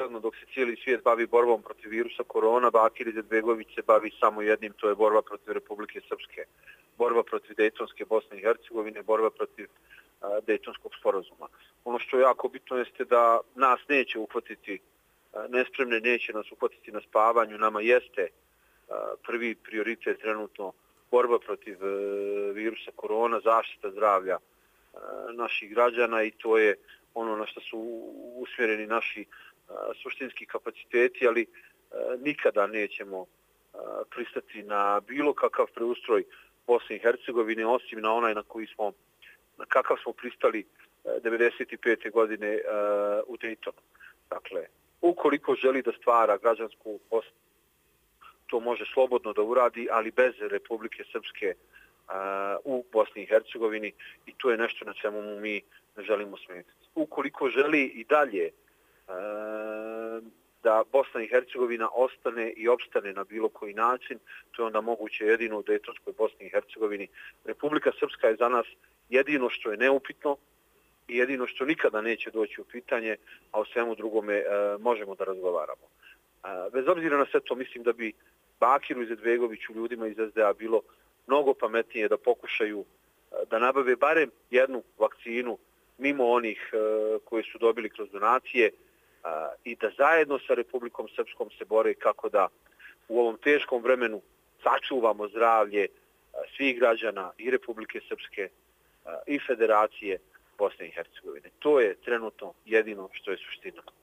naravno dok se cijeli svijet bavi borbom protiv virusa korona, Bakir Izetbegović se bavi samo jednim, to je borba protiv Republike Srpske, borba protiv Dejtonske Bosne i Hercegovine, borba protiv Dejtonskog sporazuma. Ono što je jako bitno jeste da nas neće uhvatiti nespremne, neće nas uhvatiti na spavanju. Nama jeste prvi prioritet trenutno borba protiv virusa korona, zaštita zdravlja naših građana i to je ono na što su usmjereni naši suštinski kapaciteti, ali nikada nećemo pristati na bilo kakav preustroj Bosne i Hercegovine, osim na onaj na kakav smo pristali 1995. godine u Dejtonu. Dakle, ukoliko želi da stvara građansku Bosnu, to može slobodno da uradi, ali bez Republike Srpske u Bosni i Hercegovini i to je nešto na čemu mu mi ne želimo smetati. Ukoliko želi i dalje da Bosna i Hercegovina ostane i opstane na bilo koji način, to je onda moguće jedino u Dejtonskoj Bosni i Hercegovini. Republika Srpska je za nas jedino što je neupitno i jedino što nikada neće doći u pitanje, a o svemu drugome možemo da razgovaramo. Bez obzira na sve to, mislim da bi Bakiru Izetbegoviću, ljudima iz SDA, bilo mnogo pametnije da pokušaju da nabave barem jednu vakcinu mimo onih koje su dobili kroz donacije i da zajedno sa Republikom Srpskom se bore kako da u ovom teškom vremenu sačuvamo zdravlje svih građana i Republike Srpske i Federacije Bosne i Hercegovine. To je trenutno jedino što je suština.